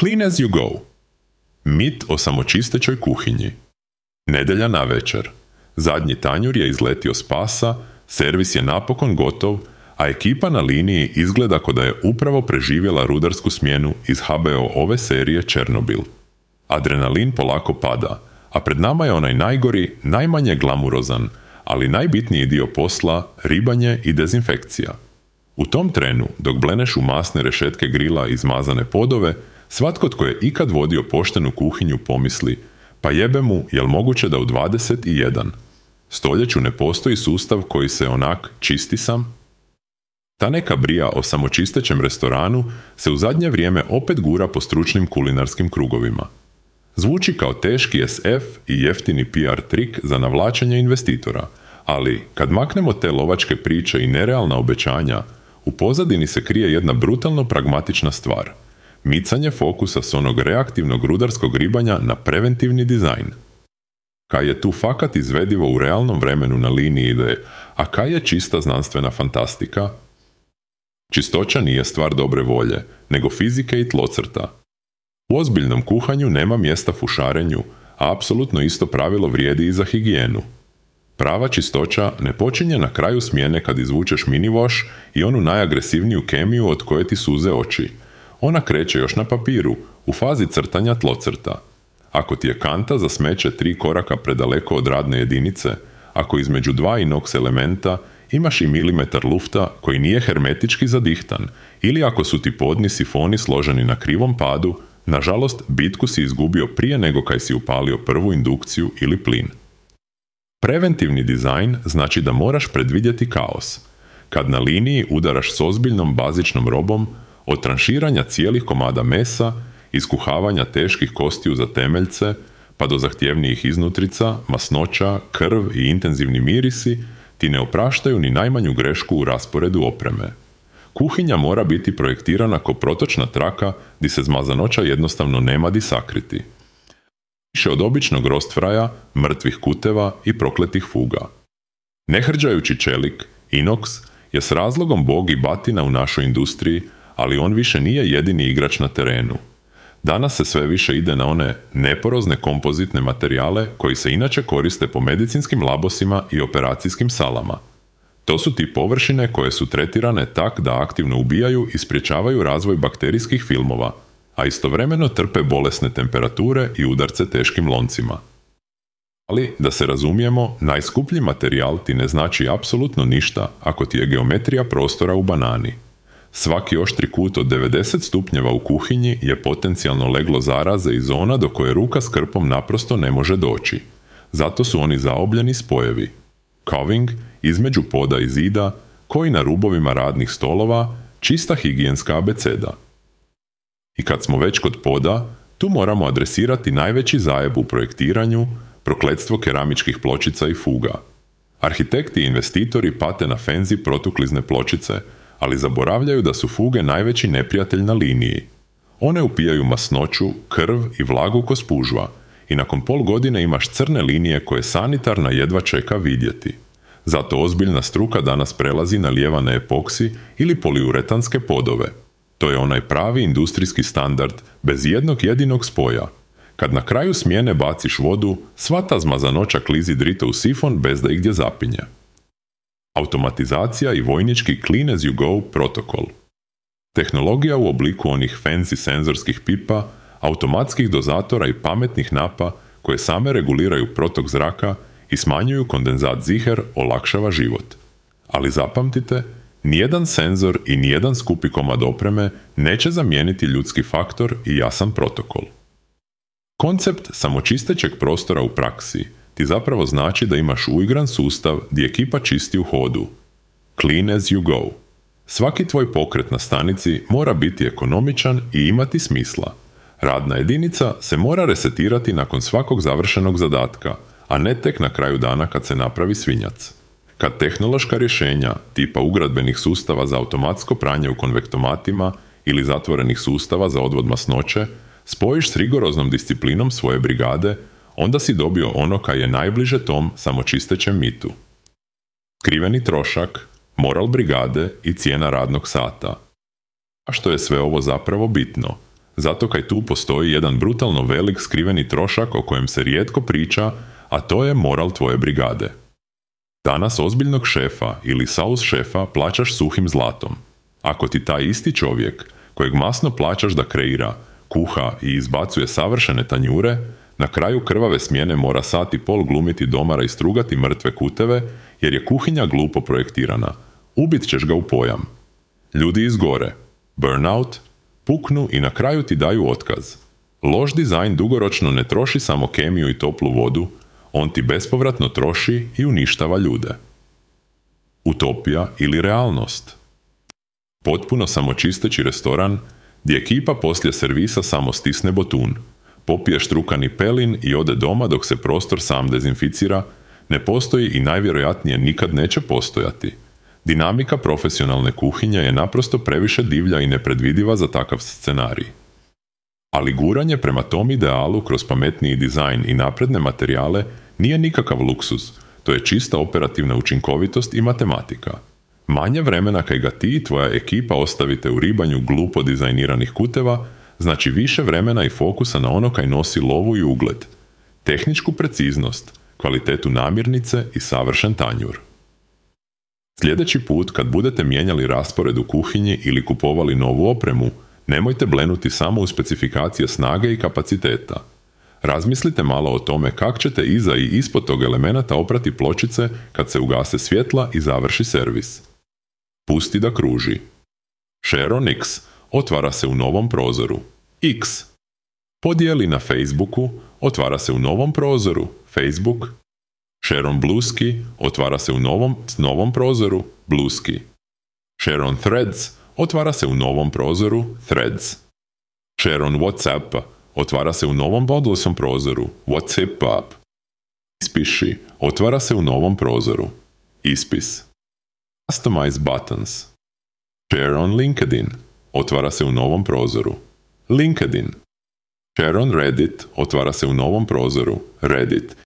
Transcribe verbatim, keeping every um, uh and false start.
Clean as you go. Mit o samočistećoj kuhinji. Nedjelja navečer. Zadnji tanjur je izletio s pasa, servis je napokon gotov, a ekipa na liniji izgleda kao da je upravo preživjela rudarsku smjenu iz ha be o-ove serije Černobil. Adrenalin polako pada, a pred nama je onaj najgori, najmanje glamurozan, ali najbitniji dio posla, ribanje i dezinfekcija. U tom trenu, dok bleneš u masne rešetke grila i izmazane podove, svatko tko je ikad vodio poštenu kuhinju pomisli, pa jebe mu, jel moguće da u dvadeset jedan stoljeću ne postoji sustav koji se onak čisti sam? Ta neka brija o samočistećem restoranu se u zadnje vrijeme opet gura po stručnim kulinarskim krugovima. Zvuči kao teški es ef i jeftini pi ar trik za navlačenje investitora, ali kad maknemo te lovačke priče i nerealna obećanja, u pozadini se krije jedna brutalno pragmatična stvar. Micanje fokusa s onog reaktivnog rudarskog ribanja na preventivni dizajn. Kaj je tu fakat izvedivo u realnom vremenu na liniji ideje, a kaj je čista znanstvena fantastika? Čistoća nije stvar dobre volje, nego fizike i tlocrta. U ozbiljnom kuhanju nema mjesta fušarenju, a apsolutno isto pravilo vrijedi i za higijenu. Prava čistoća ne počinje na kraju smjene kad izvučeš mini wash i onu najagresivniju kemiju od koje ti suze oči. Ona kreće još na papiru, u fazi crtanja tlocrta. Ako ti je kanta za smeće tri koraka predaleko od radne jedinice, ako između dva inox elementa imaš i milimetar lufta koji nije hermetički zadihtan, ili ako su ti podni sifoni složeni na krivom padu, nažalost bitku si izgubio prije nego kaj si upalio prvu indukciju ili plin. Preventivni dizajn znači da moraš predvidjeti kaos. Kad na liniji udaraš s ozbiljnom bazičnom robom, od tranširanja cijelih komada mesa, iskuhavanja teških kostiju za temeljce, pa do zahtjevnijih iznutrica, masnoća, krv i intenzivni mirisi, ti ne opraštaju ni najmanju grešku u rasporedu opreme. Kuhinja mora biti projektirana kao protočna traka di se zmazanoća jednostavno nema di sakriti. Više od običnog rostfraja, mrtvih kuteva i prokletih fuga. Nehrđajući čelik, inox, je s razlogom bog i batina u našoj industriji, ali on više nije jedini igrač na terenu. Danas se sve više ide na one neporozne kompozitne materijale koji se inače koriste po medicinskim labosima i operacijskim salama. To su ti površine koje su tretirane tak da aktivno ubijaju i sprječavaju razvoj bakterijskih filmova, a istovremeno trpe bolesne temperature i udarce teškim loncima. Ali, da se razumijemo, najskuplji materijal ti ne znači apsolutno ništa ako ti je geometrija prostora u banani. Svaki oštri kut od devedeset stupnjeva u kuhinji je potencijalno leglo zaraze i zona do koje ruka s krpom naprosto ne može doći. Zato su oni zaobljeni spojevi. Coving, između poda i zida, koji na rubovima radnih stolova, čista higijenska abeceda. I kad smo već kod poda, tu moramo adresirati najveći zajeb u projektiranju, prokletstvo keramičkih pločica i fuga. Arhitekti i investitori pate na fenzi protuklizne pločice, ali zaboravljaju da su fuge najveći neprijatelj na liniji. One upijaju masnoću, krv i vlagu ko spužva i nakon pol godine imaš crne linije koje sanitarna jedva čeka vidjeti. Zato ozbiljna struka danas prelazi na lijevane epoksi ili poliuretanske podove. To je onaj pravi industrijski standard bez jednog jedinog spoja. Kad na kraju smjene baciš vodu, sva ta zmazanoća klizi drito u sifon bez da igdje zapinje. Automatizacija i vojnički clean as you go protokol. Tehnologija u obliku onih fancy senzorskih pipa, automatskih dozatora i pametnih napa koje same reguliraju protok zraka i smanjuju kondenzat ziher olakšava život. Ali zapamtite, nijedan senzor i nijedan skupi komad opreme neće zamijeniti ljudski faktor i jasan protokol. Koncept samočistećeg prostora u praksi ti zapravo znači da imaš uigran sustav gdje ekipa čisti u hodu. Clean as you go. Svaki tvoj pokret na stanici mora biti ekonomičan i imati smisla. Radna jedinica se mora resetirati nakon svakog završenog zadatka, a ne tek na kraju dana kad se napravi svinjac. Kad tehnološka rješenja, tipa ugradbenih sustava za automatsko pranje u konvektomatima ili zatvorenih sustava za odvod masnoće, spojiš s rigoroznom disciplinom svoje brigade, onda si dobio ono kaj je najbliže tom samočistećem mitu. Skriveni trošak, moral brigade i cijena radnog sata. A što je sve ovo zapravo bitno? zato kaj tu postoji jedan brutalno velik skriveni trošak o kojem se rijetko priča, a to je moral tvoje brigade. Danas ozbiljnog šefa ili sales šefa plaćaš suhim zlatom. Ako ti taj isti čovjek, kojeg masno plaćaš da kreira, kuha i izbacuje savršene tanjure, na kraju krvave smjene mora sat i pol glumiti domara i strugati mrtve kuteve, jer je kuhinja glupo projektirana, ubit ćeš ga u pojam. Ljudi izgore, burnout, puknu i na kraju ti daju otkaz. Loš dizajn dugoročno ne troši samo kemiju i toplu vodu, on ti bespovratno troši i uništava ljude. Utopija ili realnost? Potpuno samočisteći restoran gdje ekipa poslije servisa samo stisne botun, popije štrukani pelin i ode doma dok se prostor sam dezinficira, ne postoji i najvjerojatnije nikad neće postojati. Dinamika profesionalne kuhinje je naprosto previše divlja i nepredvidiva za takav scenarij. Ali guranje prema tom idealu kroz pametniji dizajn i napredne materijale nije nikakav luksuz, to je čista operativna učinkovitost i matematika. Manje vremena kaj ga ti i tvoja ekipa ostavite u ribanju glupo dizajniranih kuteva, znači više vremena i fokusa na ono kaj nosi lovu i ugled. Tehničku preciznost, kvalitetu namirnice i savršen tanjur. Sljedeći put kad budete mijenjali raspored u kuhinji ili kupovali novu opremu, nemojte blenuti samo u specifikacije snage i kapaciteta. Razmislite malo o tome kako ćete iza i ispod tog elemenata oprati pločice kad se ugase svjetla i završi servis. Pusti da kruži. Sharon X otvara se u novom prozoru. X. Podijeli na Facebooku, otvara se u novom prozoru. Facebook. Sharon Blueski otvara se u novom, novom prozoru. Blueski. Sharon Threads otvara se u novom prozoru. Threads. Sharon WhatsApp otvara se u novom bodlosom prozoru. WhatsApp. Ispiši otvara se u novom prozoru. Ispis. Customize buttons. Share on LinkedIn otvara se u novom prozoru. LinkedIn. Share on Reddit otvara se u novom prozoru. Reddit.